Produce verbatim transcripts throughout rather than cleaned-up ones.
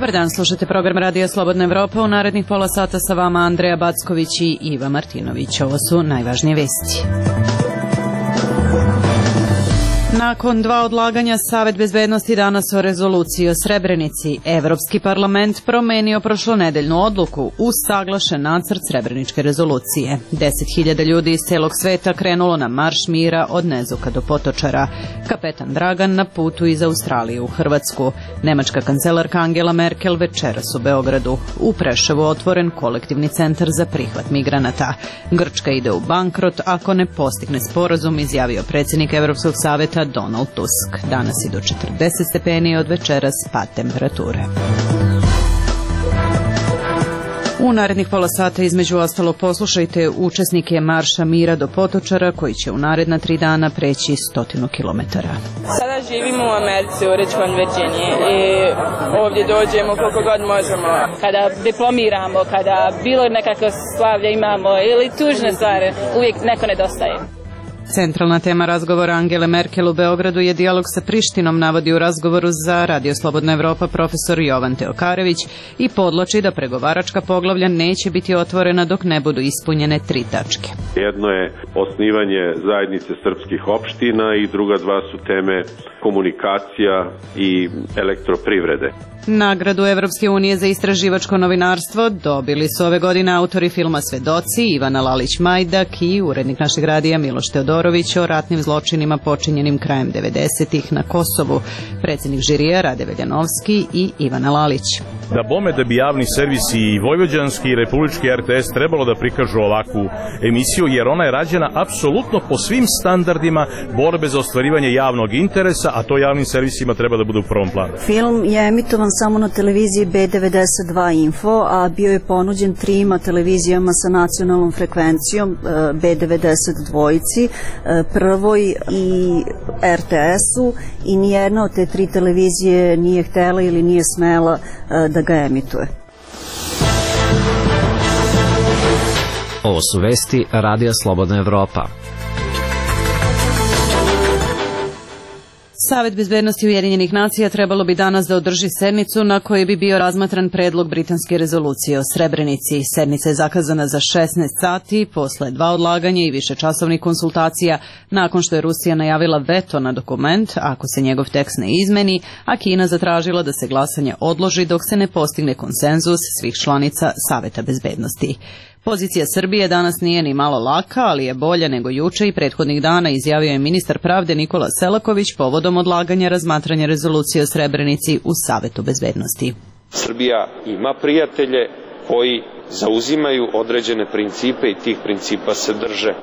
Dobar dan, slušate program Radija Slobodna Evropa. U narednih pola sata sa vama Andreja Backović i Iva Martinović. Ovo su najvažnije vesti. Nakon dva odlaganja, Savet bezbednosti danas o rezoluciji o Srebrenici. Evropski parlament promenio prošlonedeljnu odluku uz saglašen nacrt Srebreničke rezolucije. Deset hiljada ljudi iz celog sveta krenulo na marš mira od Nezuka do Potočara. Kapetan Dragan na putu iz Australije u Hrvatsku. Nemačka kancelarka Angela Merkel večeras u Beogradu. U Preševu otvoren kolektivni centar za prihvat migranata. Grčka ide u bankrot ako ne postigne sporazum, izjavio predsjednik Evropskog saveta Donald Tusk. Danas i do četrdeset stepeni, od večeras pad temperature. U narednih pola sata između ostalo poslušajte učesnike Marša mira do Potočara koji će u naredna tri dana preći stotinu kilometara. Sada živimo u Americi, u Richmond, Virginiji i ovdje dođemo koliko god možemo. Kada diplomiramo, kada bilo nekako slavlje imamo ili tužne stvari, uvijek neko nedostaje. Centralna tema razgovora Angele Merkel u Beogradu je dijalog sa Prištinom, navodi u razgovoru za Radio Slobodna Evropa profesor Jovan Teokarević i podloči da pregovaračka poglavlja neće biti otvorena dok ne budu ispunjene tri tačke. Jedno je osnivanje zajednice srpskih opština i druga dva su teme komunikacija i elektroprivrede. Nagradu Evropske unije za istraživačko novinarstvo dobili su ove godine autori filma Svedoci, Ivana Lalić-Majdak i urednik našeg radija Miloš Teodorović o ratnim zločinima počinjenim krajem devedesetih na Kosovu. Predsjednik žirija Rade Veljanovski i Ivana Lalić. Da bome da bi javni servisi i vojvođanski i republički R T S trebalo da prikažu ovakvu emisiju, jer ona je rađena apsolutno po svim standardima borbe za ostvarivanje javnog interesa, a to javnim servisima treba da bude u prvom planu. Film je emitovan samo na televiziji B devedeset dva Info, a bio je ponuđen trima televizijama sa nacionalnom frekvencijom, B devedeset dva, Prvoj i R T S-u, i nijedna od te tri televizije nije htela ili nije smela da ga emituje. Ovo su vesti Radija Slobodna Evropa. Savet bezbednosti Ujedinjenih nacija trebalo bi danas da održi sednicu na kojoj bi bio razmatran predlog britanske rezolucije o Srebrenici. Sednica je zakazana za šesnaest sati posle dva odlaganja i višečasovnih konsultacija nakon što je Rusija najavila veto na dokument ako se njegov tekst ne izmeni, a Kina zatražila da se glasanje odloži dok se ne postigne konsenzus svih članica Saveta bezbednosti. Pozicija Srbije danas nije ni malo laka, ali je bolja nego juče i prethodnih dana, izjavio je ministar pravde Nikola Selaković povodom odlaganja razmatranja rezolucije o Srebrenici u Savetu bezbednosti. Srbija ima prijatelje koji zauzimaju određene principe i tih principa se drže.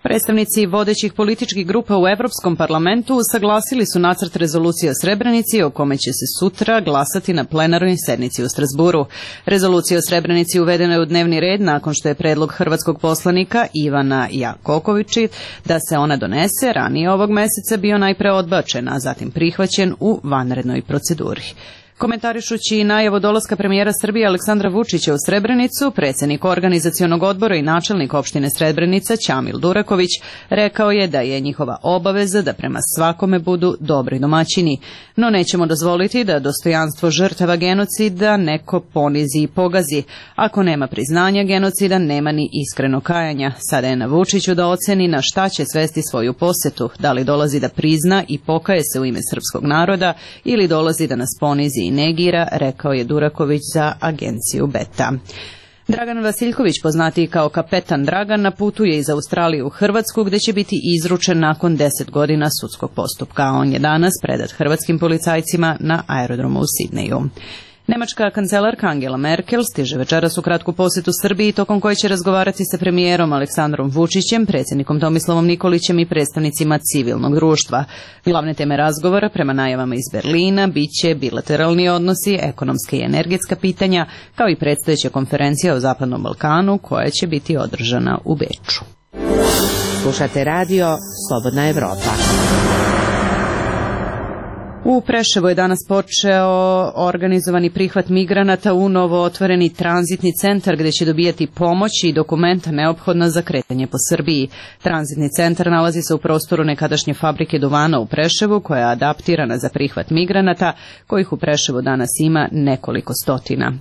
Predstavnici vodećih političkih grupa u Evropskom parlamentu usaglasili su nacrt rezolucije o Srebrenici o kome će se sutra glasati na plenarnoj sednici u Strasburu. Rezolucija o Srebrenici uvedena je u dnevni red nakon što je predlog hrvatskog poslanika Ivana Jakokovića da se ona donese ranije ovog meseca bio najpre odbačen, a zatim prihvaćen u vanrednoj proceduri. Komentarišući najavu dolaska premijera Srbije Aleksandra Vučića u Srebrenicu, predsjednik organizacionog odbora i načelnik opštine Srebrenica Ćamil Duraković rekao je da je njihova obaveza da prema svakome budu dobri domaćini, no nećemo dozvoliti da dostojanstvo žrtava genocida neko ponizi i pogazi. Ako nema priznanja genocida, nema ni iskreno kajanja. Sada je na Vučiću da oceni na šta će svesti svoju posetu, da li dolazi da prizna i pokaje se u ime srpskog naroda ili dolazi da nas ponizi i negira, rekao je Duraković za agenciju Beta. Dragan Vasiljković, poznatiji kao Kapetan Dragan, na putu je iz Australije u Hrvatsku, gde će biti izručen nakon deset godina sudskog postupka. On je danas predat hrvatskim policajcima na aerodromu u Sidneju. Nemačka kancelarka Angela Merkel stiže večeras u kratku posjetu Srbiji, tokom koje će razgovarati sa premijerom Aleksandrom Vučićem, predsjednikom Tomislavom Nikolićem i predstavnicima civilnog društva. Glavne teme razgovora, prema najavama iz Berlina, biće bilateralni odnosi, ekonomske i energetska pitanja, kao i predstojeća konferencija o Zapadnom Balkanu, koja će biti održana u Beču. Slušate radio Slobodna Evropa. U Preševu je danas počeo organizovani prihvat migranata u novo otvoreni tranzitni centar gdje će dobijati pomoć i dokumenta neophodna za kretanje po Srbiji. Tranzitni centar nalazi se u prostoru nekadašnje fabrike duvana u Preševu koja je adaptirana za prihvat migranata kojih u Preševu danas ima nekoliko stotina.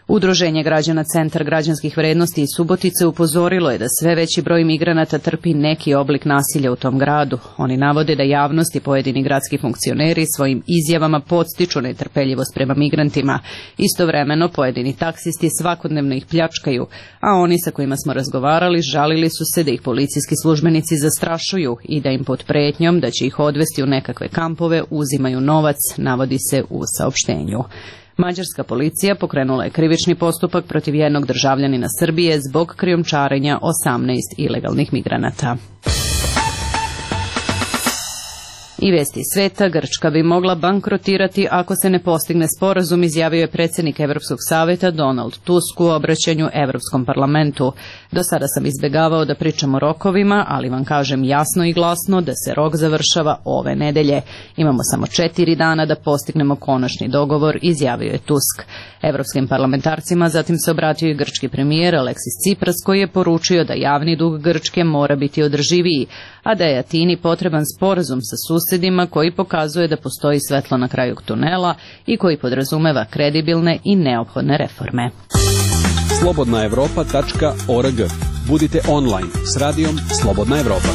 Udruženje građana Centar građanskih vrednosti iz Subotice upozorilo je da sve veći broj migranata trpi neki oblik nasilja u tom gradu. Oni navode da javnost i pojedini gradski funkcioneri svojim izjavama podstiču netrpeljivost prema migrantima. Istovremeno pojedini taksisti svakodnevno ih pljačkaju, a oni sa kojima smo razgovarali žalili su se da ih policijski službenici zastrašuju i da im pod pretnjom da će ih odvesti u nekakve kampove uzimaju novac, navodi se u saopštenju. Mađarska policija pokrenula je krivični postupak protiv jednog državljanina Srbije zbog krijumčarenja osamnaest ilegalnih migranata. I vesti iz sveta, Grčka bi mogla bankrotirati ako se ne postigne sporazum, izjavio je predsjednik Evropskog savjeta Donald Tusk u obraćanju Evropskom parlamentu. Do sada sam izbjegavao da pričam o rokovima, ali vam kažem jasno i glasno da se rok završava ove nedelje. Imamo samo četiri dana da postignemo konačni dogovor, izjavio je Tusk. Evropskim parlamentarcima zatim se obratio i grčki premijer Aleksis Tsipras koji je poručio da javni dug Grčke mora biti održiviji, a da je Atini potreban sporazum sa susjedima koji pokazuje da postoji svetlo na kraju tunela i koji podrazumeva kredibilne i neophodne reforme. slobodna evropa tačka org. Budite online s radijom Slobodna Evropa.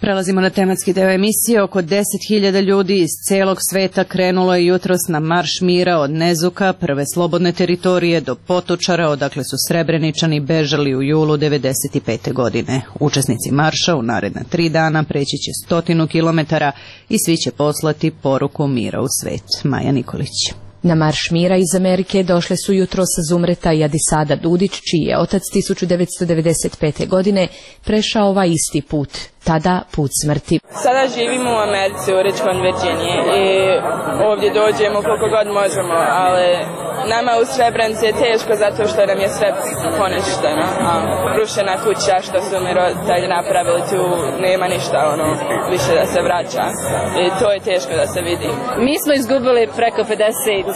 Prelazimo na tematski deo emisije. Oko deset hiljada ljudi iz celog sveta krenulo je jutros na marš mira od Nezuka, prve slobodne teritorije, do Potočara, odakle su Srebreničani bežali u julu devedeset pete. godine. Učesnici marša u naredna tri dana preći će stotinu kilometara i svi će poslati poruku mira u svet. Maja Nikolić. Na marš mira iz Amerike došle su jutros Zumreta i Adisada Dudić, čiji je otac tisuću devetsto devedeset pete. godine prešao ovaj isti put, tada put smrti. Sada živimo u Americi, u Richmond, Virginiji i ovdje dođemo koliko god možemo, ali nama u Srebrenici je teško zato što nam je sve poništeno. Rušena kuća što su mi roditelji napravili, tu nema ništa ono, više da se vraća i to je teško da se vidi. Mi smo izgubili preko pedeset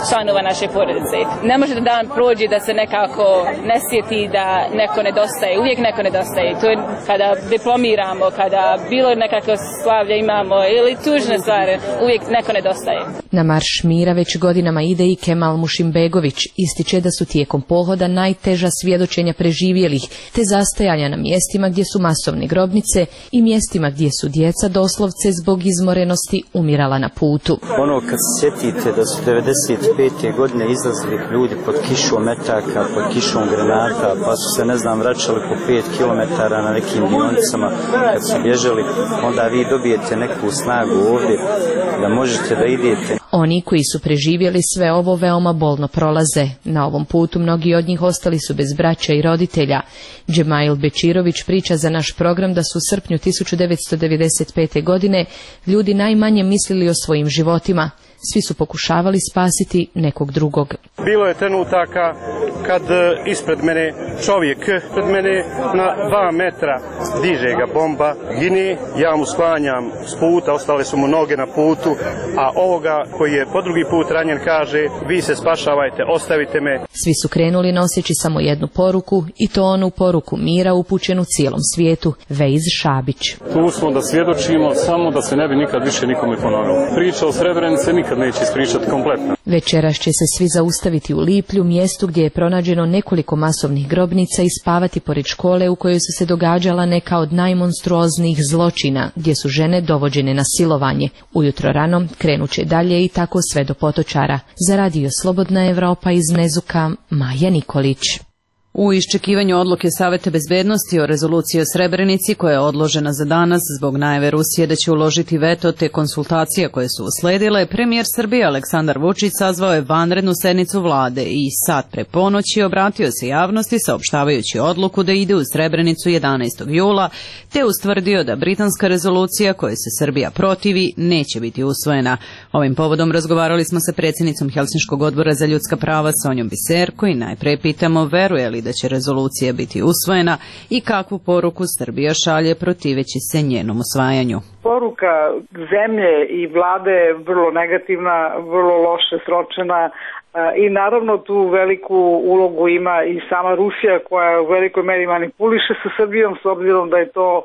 članova naše porodice. Ne može da dan prođe da se nekako ne sjeti da neko nedostaje, uvijek neko nedostaje. To je kada diplomiramo, kada bilo nekakve slavlje imamo ili tužne stvari, uvijek neko nedostaje. Na marš mira već godinama ide i Kemal Mušimbegović, ističe da su tijekom pohoda najteža svjedočenja preživjelih, te zastajanja na mjestima gdje su masovne grobnice i mjestima gdje su djeca doslovce zbog izmorenosti umirala na putu. Ono kad se sjetite da su devedeset pete. godine izlazili ljudi pod kišom metaka, pod kišom granata, pa su se ne znam vraćali po pet kilometara na nekim dionicama, kad su bježali, onda vi dobijete neku snagu ovdje da možete da idete. Oni koji su preživjeli sve ovo veoma bolno prolaze. Na ovom putu mnogi od njih ostali su bez braća i roditelja. Džemail Bečirović priča za naš program da su u srpnju tisuću devetsto devedeset pete. godine ljudi najmanje mislili o svojim životima. Svi su pokušavali spasiti nekog drugog. Bilo je trenutaka kad ispred mene čovjek, pred mene na dva metra diže ga bomba, gine, ja mu sklanjam s puta, ostale su mu noge na putu, a ovoga koji je po drugi put ranjen kaže, vi se spašavajte, ostavite me. Svi su krenuli noseći samo jednu poruku i to onu poruku mira upućenu cijelom svijetu. Vejz Šabić. Tu smo da svjedočimo samo da se ne bi nikad više nikome ponovilo. Priča o Srebrenici nikad neće ispričati kompletno. Večeras će se svi zaustaviti u Liplju, mjestu gdje je pronađeno nekoliko masovnih grobnica i spavati pored škole u kojoj su se događala neka od najmonstruoznijih zločina, gdje su žene dovođene na silovanje. Ujutro rano krenut će dalje i tako sve do Potočara. Za radio Slobodna Evropa iz Nezuka, Maja Nikolić. U iščekivanju odluke Saveta bezbednosti o rezoluciji o Srebrenici koja je odložena za danas zbog najave Rusije da će uložiti veto te konsultacije koje su usledile, premijer Srbije Aleksandar Vučić sazvao je vanrednu sednicu vlade i sat pre ponoći obratio se javnosti saopštavajući odluku da ide u Srebrenicu jedanaestog jula, te ustvrdio da britanska rezolucija kojoj se Srbija protivi neće biti usvojena. Ovim povodom razgovarali smo sa predsjednicom Helsinškog odbora za ljudska prava Sonjom Biserko i najpre pitamo veruje li da će rezolucija biti usvojena i kakvu poruku Srbija šalje protiveći se njenom usvajanju. Poruka zemlje i vlade je vrlo negativna, vrlo loše sročena i naravno tu veliku ulogu ima i sama Rusija koja u velikoj meri manipuliše sa Srbijom s obzirom da je to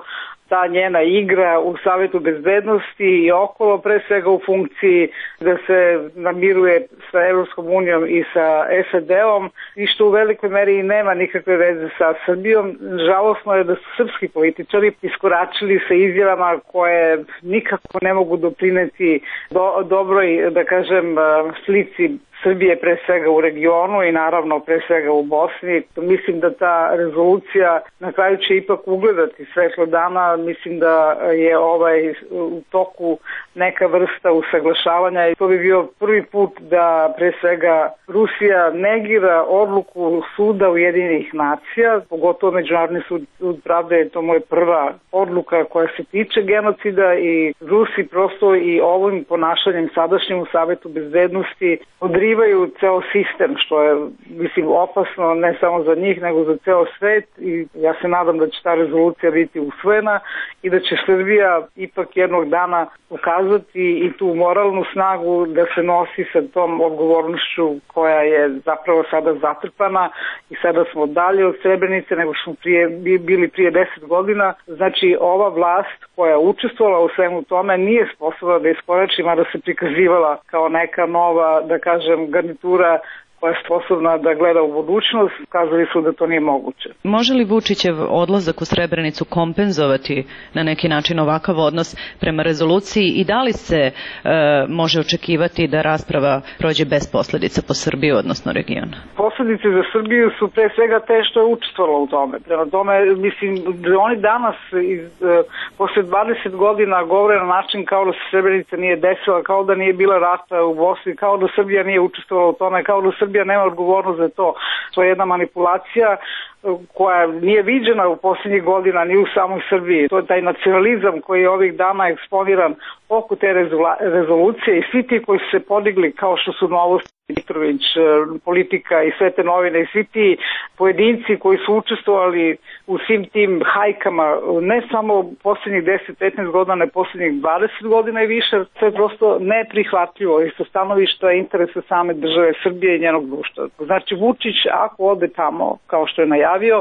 ta njena igra u Savetu bezbednosti i okolo, pre svega u funkciji da se namiruje sa Evropskom unijom i sa S A D-om i što u velikoj meri nema nikakve veze sa Srbijom. Žalosno je da su srpski političari iskoračili sa izjavama koje nikako ne mogu doprineti do, dobroj, da kažem, slici Srbije pre svega u regionu i naravno pre svega u Bosni. Mislim da ta rezolucija na kraju će ipak ugledati svetlo dana. Mislim da je ovaj u toku neka vrsta usaglašavanja i to bi bio prvi put da pre svega Rusija negira odluku Suda Ujedinjenih nacija, pogotovo Međunarodni sud, sud pravde je to moja prva odluka koja se tiče genocida i Rusi prosto i ovim ponašanjem sadašnjim u Savetu bezbednosti odrivaju ceo sistem, što je, mislim, opasno ne samo za njih, nego za ceo svet i ja se nadam da će ta rezolucija biti usvojena i da će Srbija ipak jednog dana pokazati i tu moralnu snagu da se nosi sa tom odgovornošću koja je zapravo sada zatrpana i sada smo dalje od Srebrenice nego što smo prije, bili prije deset godina. Znači ova vlast koja je učestvovala u svemu tome nije sposobna da iskorači, mada se prikazivala kao neka nova, da kažem, garnitura koja je sposobna da gleda u budućnost, kazali su da to nije moguće. Može li Vučićev odlazak u Srebrenicu kompenzovati na neki način ovakav odnos prema rezoluciji i da li se e, može očekivati da rasprava prođe bez posledica po Srbiju, odnosno region? Posledice za Srbiju su pre svega te što je učestvovala u tome. Prema tome, mislim, da oni danas iz, e, posle dvadeset godina govore na način kao da se Srebrenica nije desila, kao da nije bila rata u Bosni, kao da Srbija nije učestvovala u tome, kao da Srbija nema odgovornost za to. To je jedna manipulacija koja nije viđena u posljednjih godina ni u samoj Srbiji. To je taj nacionalizam koji je ovih dana eksponiran oko te rezolucije i svi ti koji su se podigli kao što su Novosti, Mitrović, Politika i sve te novine i svi ti pojedinci koji su učestvovali u svim tim hajkama ne samo posljednjih deset petnaest godina, ne posljednjih dvadeset godina i više, to je prosto neprihvatljivo i sa stanovišta interesa same države Srbije i njenog društva. Znači Vučić ako ode tamo kao što je najavio,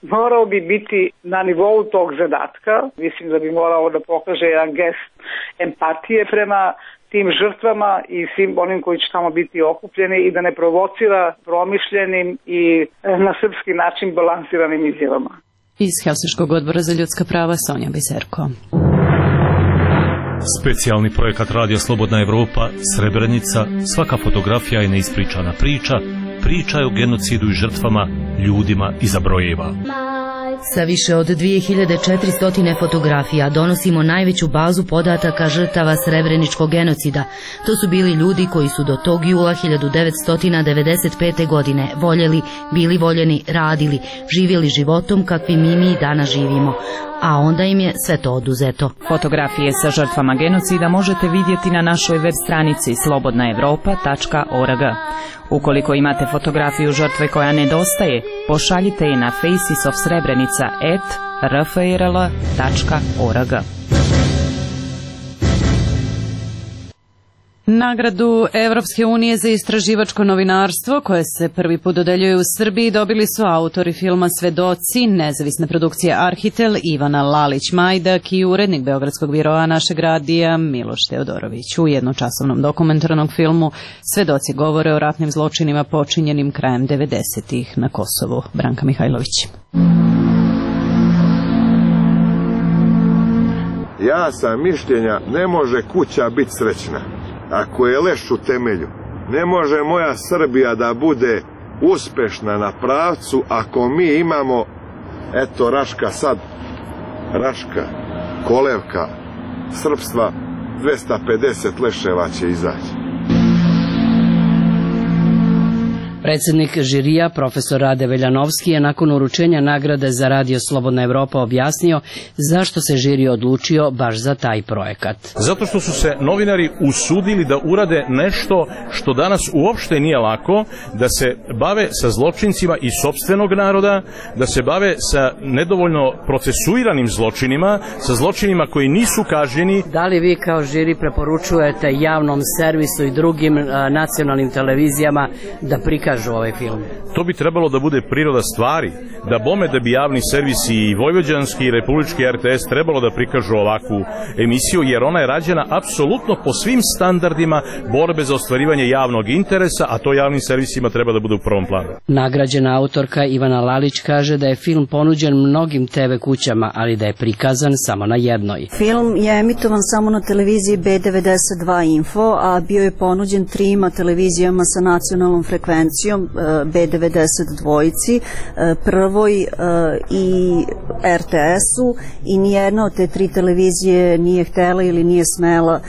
morao bi biti na nivou tog zadatka. Mislim da bi morao da pokaže jedan gest empatije prema tim žrtvama i svim onim koji će tamo biti okupljeni i da ne provocira promišljenim i na srpski način balansiranim izjavama. Iz Helsinškog odbora za ljudska prava Sonja Biserko. Specijalni projekat Radija Slobodna Evropa, Srebrenica, svaka fotografija je neispričana priča, priča je o genocidu i žrtvama, ljudima iza brojeva. Sa više od dvije hiljade četiristo fotografija donosimo najveću bazu podataka žrtava Srebreničkog genocida. To su bili ljudi koji su do tog jula hiljadu devetsto devedeset pete. godine voljeli, bili voljeni, radili, živjeli životom kakvim mi mi danas živimo. A onda im je sve to oduzeto. Fotografije sa žrtvama genocida možete vidjeti na našoj web stranici slobodna evropa tačka org. Ukoliko imate fotografiju žrtve koja nedostaje, pošaljite je na faces of srebrenica at r f r l tačka org. Nagradu Evropske unije za istraživačko novinarstvo, koje se prvi put dodeljuje u Srbiji, dobili su autori filma Svedoci, nezavisna produkcija Arhitel, Ivana Lalić-Majdak i urednik Beogradskog biroa našeg radija Miloš Teodorović. U jednočasovnom dokumentarnom filmu Svedoci govore o ratnim zločinima počinjenim krajem devedesetih na Kosovu. Branka Mihajlović. Ja sam mišljenja, ne može kuća biti srećna ako je leš u temelju. Ne može moja Srbija da bude uspešna na pravcu ako mi imamo, eto Raška sad, Raška, kolevka srpstva, dvesta pedeset leševa će izaći. Predsednik žirija, profesor Rade Veljanovski, je nakon uručenja nagrade za Radio Slobodna Evropa objasnio zašto se žiri odlučio baš za taj projekat. Zato što su se novinari usudili da urade nešto što danas uopšte nije lako, da se bave sa zločincima iz sopstvenog naroda, da se bave sa nedovoljno procesuiranim zločinima, sa zločinima koji nisu kažnjeni. Da li vi kao žiri preporučujete javnom servisu i drugim a, nacionalnim televizijama da prikažu ovaj film? To bi trebalo da bude priroda stvari, da bome da bi javni servisi i vojvođanski i republički R T S trebalo da prikažu ovakvu emisiju, jer ona je rađena apsolutno po svim standardima borbe za ostvarivanje javnog interesa, a to javnim servisima treba da bude u prvom planu. Nagrađena autorka Ivana Lalić kaže da je film ponuđen mnogim te ve kućama, ali da je prikazan samo na jednoj. Film je emitovan samo na televiziji B devedeset dva Info, a bio je ponuđen trima televizijama sa nacionalnom frekvencijom, B devedeset dva, Prvoj i R T S-u, i nijedna od te tri televizije nije htela ili nije smela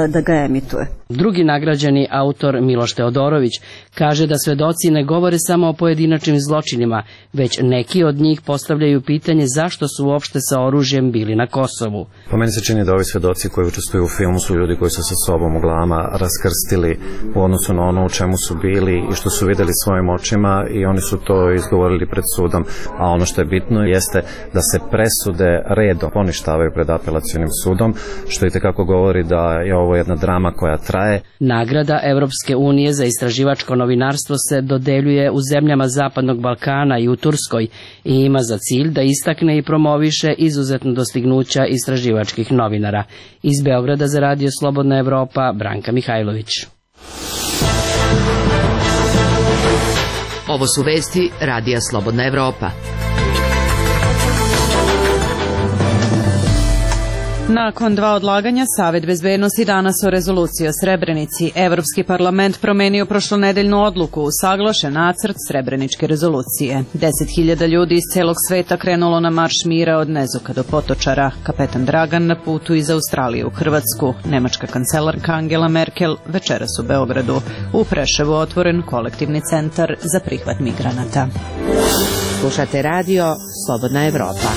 da ga emituje. Drugi nagrađeni autor Miloš Teodorović kaže da svedoci ne govore samo o pojedinačnim zločinima, već neki od njih postavljaju pitanje zašto su uopšte sa oružjem bili na Kosovu. Po meni se čini da ovi svedoci koji učestvuju u filmu su ljudi koji su sa sobom u glavama raskrstili u odnosu na ono u čemu su bili i što su videli svojim očima, i oni su to izgovorili pred sudom. A ono što je bitno jeste da se presude redom poništavaju pred apelacionim sudom, što i tekako govori da je ovo jedna drama koja traje. Nagrada Evropske unije za istraživačko novinarstvo se dodeljuje u zemljama Zapadnog Balkana i u Turskoj i ima za cilj da istakne i promoviše izuzetno dostignuća istraživačkih novinara. Iz Beograda za Radio Slobodna Evropa, Branka Mihajlović. Ovo su vesti Radija Slobodna Evropa. Nakon dva odlaganja, Savet bezbednosti danas o rezoluciji o Srebrenici. Evropski parlament promenio prošlonedeljnu odluku, usaglašen nacrt Srebreničke rezolucije. Deset hiljada ljudi iz celog sveta krenulo na marš mira od Nezuka do Potočara. Kapetan Dragan na putu iz Australije u Hrvatsku. Nemačka kancelarka Angela Merkel večeras u Beogradu. U Preševu otvoren kolektivni centar za prihvat migranata. Slušate radio Slobodna Evropa.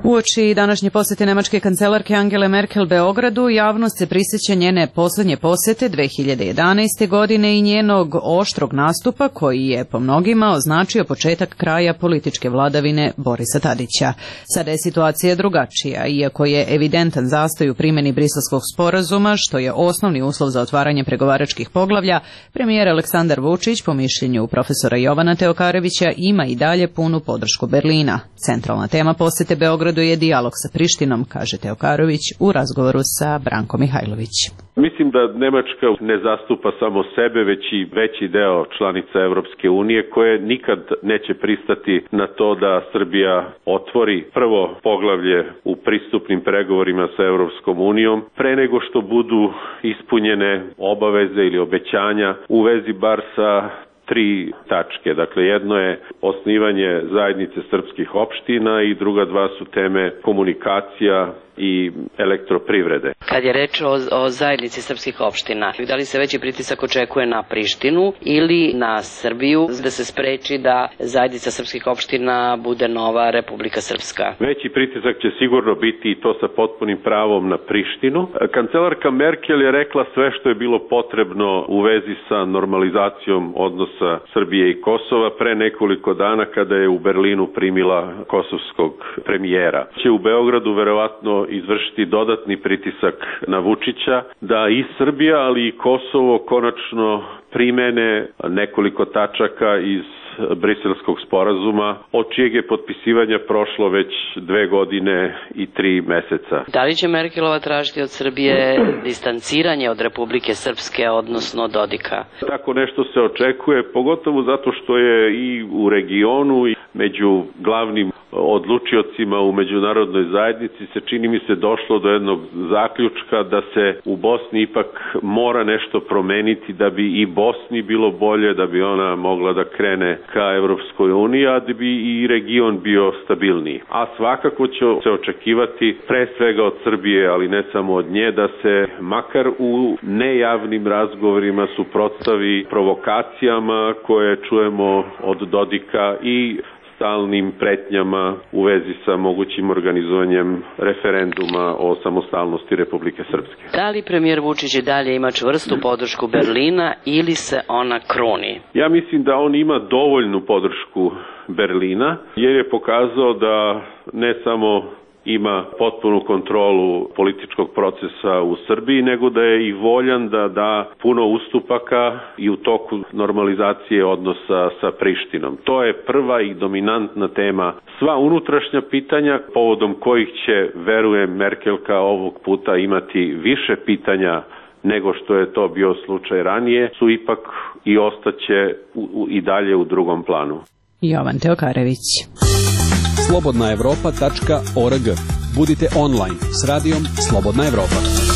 Uoči današnje posete nemačke kancelarke Angele Merkel Beogradu, javnost se prisjeća njene poslednje posete dve hiljade jedanaeste. godine i njenog oštrog nastupa koji je po mnogima označio početak kraja političke vladavine Borisa Tadića. Sada je situacija drugačija, iako je evidentan zastoj u primjeni Briselskog sporazuma, što je osnovni uslov za otvaranje pregovaračkih poglavlja. Premijer Aleksandar Vučić, po mišljenju profesora Jovana Teokarevića, ima i dalje punu podršku Berlina. Centralna tema posete Beogradu je dijalog sa Prištinom, kaže Teokarović u razgovoru sa Brankom Mihajlović. Mislim da Nemačka ne zastupa samo sebe, već i veći deo članica Evropske unije, koje nikad neće pristati na to da Srbija otvori prvo poglavlje u pristupnim pregovorima sa Evropskom unijom, pre nego što budu ispunjene obaveze ili obećanja u vezi bar sa tri tačke. Dakle, jedno je osnivanje zajednice srpskih opština i druga dva su teme komunikacija i elektroprivrede. Kad je reč o, o zajednici srpskih opština, da li se veći pritisak očekuje na Prištinu ili na Srbiju da se spreči da zajednica srpskih opština bude nova Republika Srpska? Veći pritisak će sigurno biti, i to sa potpunim pravom, na Prištinu. Kancelarka Merkel je rekla sve što je bilo potrebno u vezi sa normalizacijom odnosa Srbije i Kosova pre nekoliko dana kada je u Berlinu primila kosovskog premijera. Će u Beogradu verovatno izvršiti dodatni pritisak na Vučića da i Srbija, ali i Kosovo konačno primene nekoliko tačaka iz Briselskog sporazuma, od čijeg je potpisivanja prošlo već dve godine i tri meseca. Da li će Merkelova tražiti od Srbije distanciranje od Republike Srpske, odnosno Dodika? Tako nešto se očekuje, pogotovo zato što je i u regionu i među glavnim odlučiocima u međunarodnoj zajednici se čini mi se došlo do jednog zaključka da se u Bosni ipak mora nešto promeniti da bi i Bosni bilo bolje, da bi ona mogla da krene ka Evropskoj uniji, a da bi i region bio stabilniji. A svakako će se očekivati pre svega od Srbije, ali ne samo od nje, da se makar u nejavnim razgovorima suprotstavi provokacijama koje čujemo od Dodika i stalnim pretnjama u vezi sa mogućim organizovanjem referenduma o samostalnosti Republike Srpske. Da li premijer Vučić i dalje ima čvrstu podršku Berlina ili se ona kruni? Ja mislim da on ima dovoljnu podršku Berlina, jer je pokazao da ne samo ima potpunu kontrolu političkog procesa u Srbiji, nego da je i voljan da da puno ustupaka i u toku normalizacije odnosa sa Prištinom. To je prva i dominantna tema. Sva unutrašnja pitanja, povodom kojih će, verujem, Merkelka ovog puta imati više pitanja nego što je to bio slučaj ranije, su ipak i ostaće u, u, i dalje u drugom planu. Jovan Teokarević. slobodna evropa tačka org. Budite online s radijom Slobodna Evropa.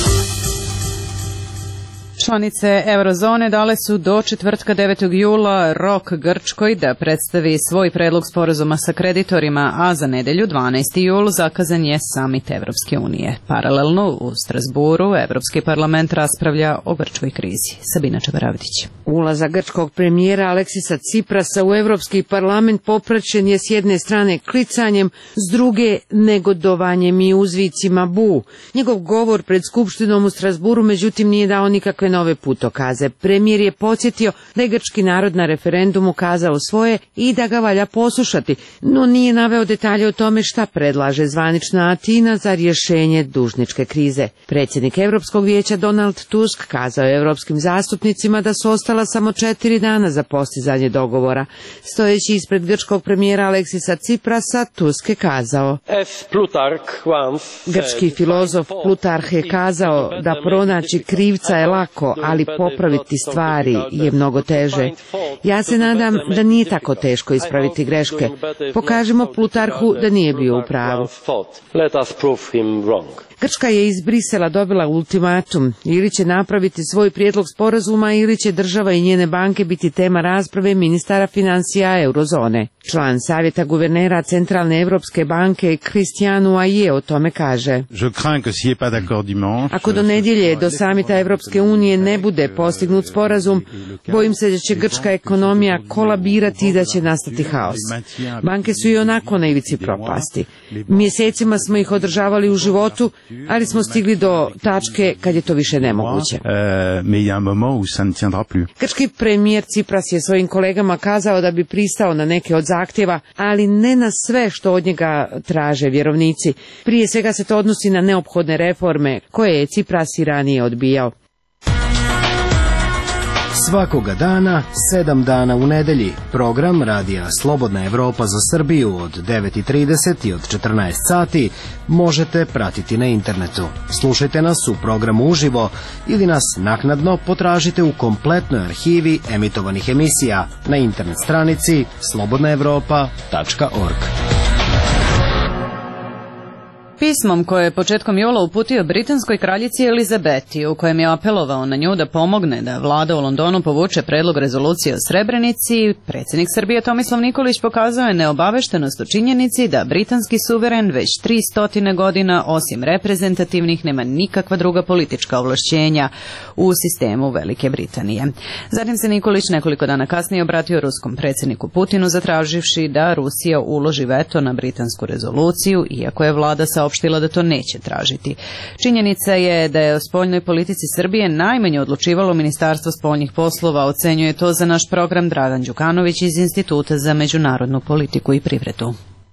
Članice Eurozone dale su do četvrtka devetog jula rok Grčkoj da predstavi svoj predlog sporazuma sa kreditorima, a za nedelju dvanaesti jul zakazan je samit Evropske unije. Paralelno u Strasburu Evropski parlament raspravlja o grčkoj krizi. Sabina Čabaravdić. Ulazak grčkog premijera Aleksisa Ciprasa u Evropski parlament popraćen je s jedne strane klicanjem, s druge negodovanjem i uzvicima bu. Njegov govor pred Skupštinom u Strasburu međutim nije dao nikakve nove putokaze. Premijer je podsjetio da je grčki narod na referendumu kazao svoje i da ga valja poslušati, no nije naveo detalje o tome šta predlaže zvanična Atina za rješenje dužničke krize. Predsjednik Europskog vijeća Donald Tusk kazao je europskim zastupnicima da su ostala samo četiri dana za postizanje dogovora. Stojeći ispred grčkog premijera Aleksisa Ciprasa, Tusk je kazao: Grčki filozof Plutarh je kazao da pronaći krivca je lako, ali popraviti stvari je mnogo teže. Ja se nadam da nije tako teško ispraviti greške. Pokažemo Plutarhu da nije bio u pravu. Grčka je iz Brisela dobila ultimatum, ili će napraviti svoj prijedlog sporazuma ili će država i njene banke biti tema rasprave ministara financija eurozone. Član savjeta guvernera Centralne Evropske banke Cristiano Aje o tome kaže: Ako do nedjelje do samita Evropske unije ne bude postignut sporazum, bojim se da će grčka ekonomija kolabirati i da će nastati haos. Banke su i onako na ivici propasti. Mjesecima smo ih održavali u životu, ali smo stigli do tačke kad je to više nemoguće. Grčki premijer Cipras je svojim kolegama kazao da bi pristao na neke od zahtjeva, ali ne na sve što od njega traže vjerovnici. Prije svega se to odnosi na neophodne reforme koje je Cipras i ranije odbijao. Svakoga dana, sedam dana u nedelji, program radija Slobodna Evropa za Srbiju od devet i trideset i od četrnaest sati možete pratiti na internetu. Slušajte nas u programu uživo ili nas naknadno potražite u kompletnoj arhivi emitovanih emisija na internet stranici slobodna evropa tačka org. Pismom koje je početkom jula uputio britanskoj kraljici Elizabeti, u kojem je apelovao na nju da pomogne da vlada u Londonu povuče predlog rezolucije o Srebrenici, predsjednik Srbije Tomislav Nikolić pokazao je neobaveštenost o činjenici da britanski suveren već tri stotine godina, osim reprezentativnih, nema nikakva druga politička ovlašćenja u sistemu Velike Britanije. Zatim se Nikolić nekoliko dana kasnije obratio ruskom predsjedniku Putinu zatraživši da Rusija uloži veto na britansku rezoluciju, iako je vlada saopštila opštila da to neće tražiti. Činjenica je da je o spoljnoj politici Srbije najmanje odlučivalo Ministarstvo spoljnih poslova, ocenjuje to za naš program Dragan Đukanović iz Instituta za međunarodnu politiku i privredu.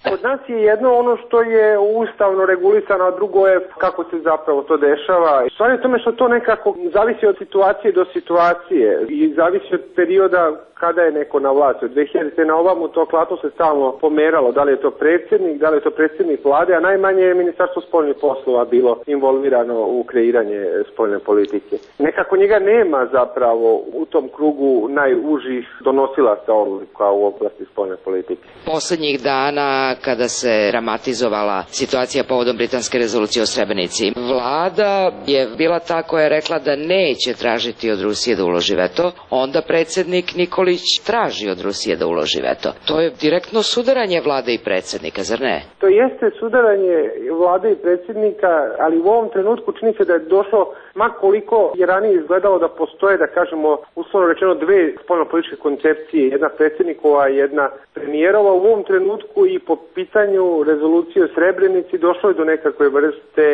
Kod nas je jedno ono što je ustavno regulisano, a drugo je kako se zapravo to dešava. Stvar je tome što to nekako zavisi od situacije do situacije i zavisi od perioda kada je neko na vlasti. Od dve hiljadite na ovamo to klatno se stalno pomeralo, da li je to predsjednik, da li je to predsjednik vlade, a najmanje je Ministarstvo spoljnih poslova bilo involvirano u kreiranje spoljne politike. Nekako njega nema zapravo u tom krugu najužih donosilaca odluka u oblasti spoljne politike. Poslednjih dana kada se dramatizovala situacija povodom britanske rezolucije o Srebrenici, vlada je bila ta koja je rekla da neće tražiti od Rusije da uloži veto, onda predsjednik Nikolić traži od Rusije da uloži veto. To je direktno sudaranje vlade i predsjednika, zar ne? To jeste sudaranje vlade i predsjednika, ali u ovom trenutku čini se da je došlo, ma koliko je ranije izgledalo da postoje, da kažemo, uslovno rečeno dve spoljnopolitičke koncepcije, jedna predsjednikova i jedna premijerova. U ovom trenutku i po pitanju rezolucije o Srebrenici došlo je do nekakve vrste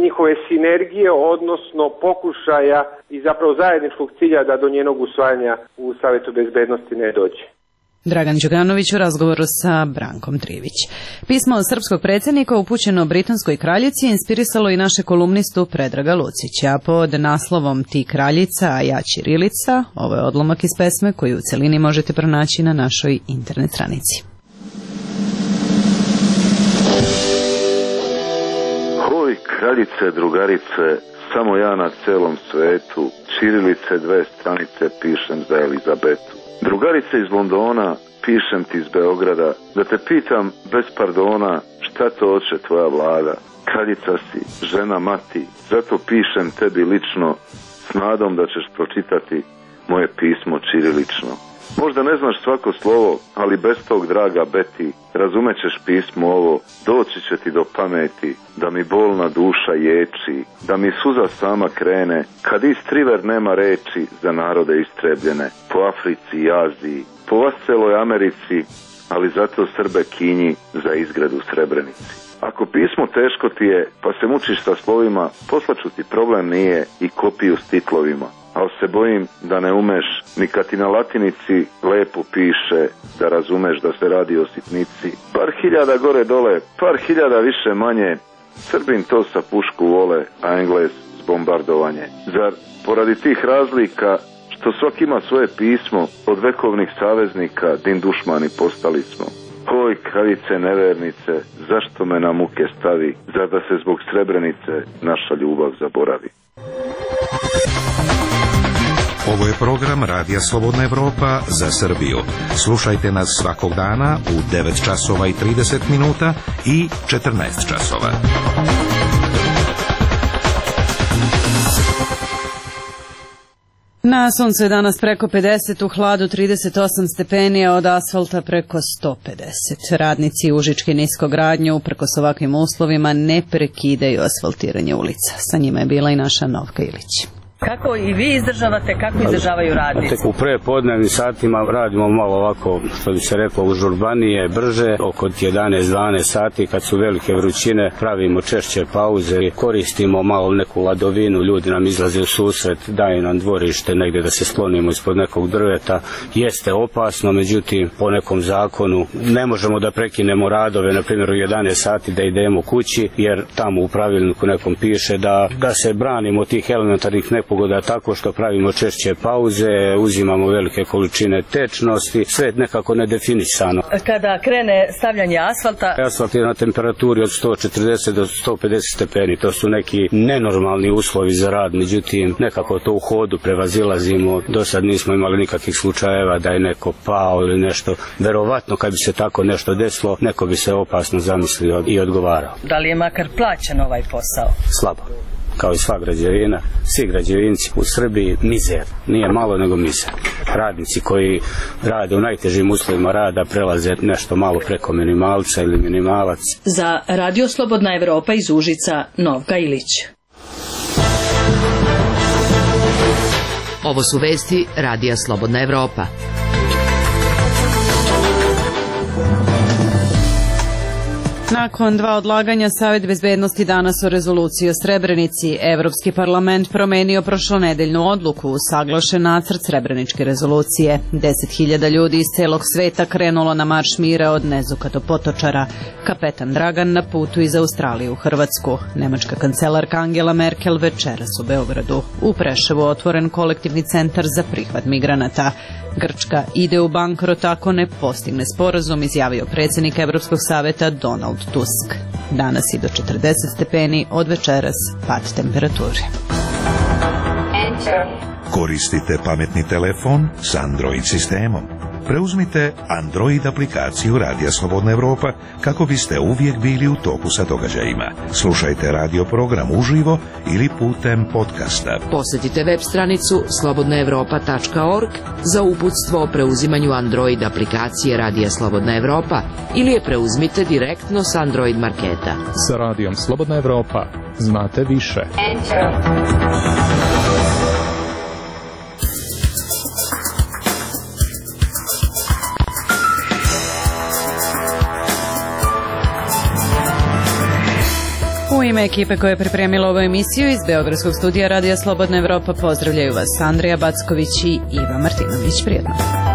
njihove sinergije, odnosno pokušaja i zapravo zajedničkog cilja da do njenog usvajanja u Savjetu bezbednosti ne dođe. Dragan Đuganović u razgovoru sa Brankom Trivić. Pismo srpskog predsjednika upućeno britanskoj kraljici inspirisalo i naše kolumnistu Predraga Lucića. Pod naslovom Ti kraljica, a ja ćirilica, ovo je odlomak iz pesme koju u celini možete pronaći na našoj internet stranici. Hoj kraljice, drugarice, samo ja na celom svetu, ćirilice dve stranice pišem za Elizabetu. Drugarice iz Londona, pišem ti iz Beograda, da te pitam bez pardona šta to hoće tvoja vlada. Kraljica si, žena mati, zato pišem tebi lično, s nadom da ćeš pročitati moje pismo ćirilično. Možda ne znaš svako slovo, ali bez tog, draga Beti, razumećeš pismo ovo, doći će ti do pameti, da mi bolna duša ječi, da mi suza sama krene, kad istriver nema reči za narode istrebljene, po Africi i Aziji, po vasceloj Americi, ali zato Srbe kinji za izgred u Srebrenici. Ako pismo teško ti je, pa se mučiš sa slovima, poslaću ti, problem nije, i kopiju s titlovima. Ali se bojim da ne umeš, ni kad ti na latinici lepo piše, da razumeš da se radi o sitnici. Par hiljada gore dole, par hiljada više manje, Srbin to sa pušku vole, a Englez s bombardovanje. Zar poradi tih razlika, što svak ima svoje pismo, od vekovnih saveznika, din dušmani postali smo. Oj, kraljice nevernice, zašto me na muke stavi, zar da se zbog Srebrenice naša ljubav zaboravi? Ovo je program Radija Slobodna Evropa za Srbiju. Slušajte nas svakog dana u devet časova i trideset minuta i četrnaest časova. Na suncu je danas preko pedeset, u hladu trideset osam stepeni, a od asfalta preko sto pedeset. Radnici Užičke niskogradnje uprkos ovakvim uslovima ne prekidaju asfaltiranje ulica. Sa njima je bila i naša Novka Ilić. Kako i vi izdržavate, kako izdržavaju radnici? U prepodnevnim satima radimo malo ovako, što bi se reklo, užurbanije, brže, oko jedanaest dvanaest sati, kad su velike vrućine, pravimo češće pauze, koristimo malo neku ladovinu, ljudi nam izlaze u susret, daju nam dvorište negdje da se sklonimo ispod nekog drveta. Jeste opasno, međutim, po nekom zakonu ne možemo da prekinemo radove, na primjer u jedanaest sati da idemo kući, jer tamo u pravilniku nekom piše da, da se branimo tih elementarnih nepogoda tako što pravimo češće pauze, uzimamo velike količine tečnosti, sve nekako nedefinisano. Kada krene stavljanje asfalta? Asfalt je na temperaturi od sto četrdeset do sto pedeset stepeni, to su neki nenormalni uslovi za rad, međutim nekako to u hodu prevazilazimo, do sad nismo imali nikakvih slučajeva da je neko pao ili nešto, verovatno kad bi se tako nešto desilo, neko bi se opasno zamislio i odgovarao. Da li je makar plaćen ovaj posao? Slabo. Kao i sva građevina, svi građevinci u Srbiji mizer, nije malo nego mizer. Radnici koji rade u najtežim uslovima rada prelaze nešto malo preko minimalca ili minimalac. Za Radio Slobodna Evropa iz Užica, Novka Ilić. Ovo su vesti Radija Slobodna Evropa. Nakon dva odlaganja, Savet bezbednosti danas o rezoluciji o Srebrenici. Evropski parlament promenio prošlonedeljnu odluku, usaglašen nacrt Srebreničke rezolucije. Deset hiljada ljudi iz celog sveta krenulo na marš mira od Nezuka do Potočara. Kapetan Dragan na putu iz Australije u Hrvatsku. Nemačka kancelarka Angela Merkel večeras u Beogradu. U Preševu otvoren kolektivni centar za prihvat migranata. Grčka ide u bankrot ako ne postigne sporazum, izjavio predsjednik Evropskog saveta Donald Tusk. Danas i do četrdeset stepeni, od večeras pad temperature. Koristite pametni telefon s Android sistemom. Preuzmite Android aplikaciju Radija Slobodna Evropa kako biste uvijek bili u toku sa događajima. Slušajte radio program uživo ili putem podcasta. Posjetite web stranicu slobodna evropa tačka org za uputstvo o preuzimanju Android aplikacije Radija Slobodna Evropa ili je preuzmite direktno s Android marketa. Sa Radijom Slobodna Evropa znate više. U ime ekipe koja je pripremila ovu emisiju iz Beogradskog studija Radija Slobodna Evropa pozdravljaju vas Andrija Backović i Iva Martinović. Prijetno.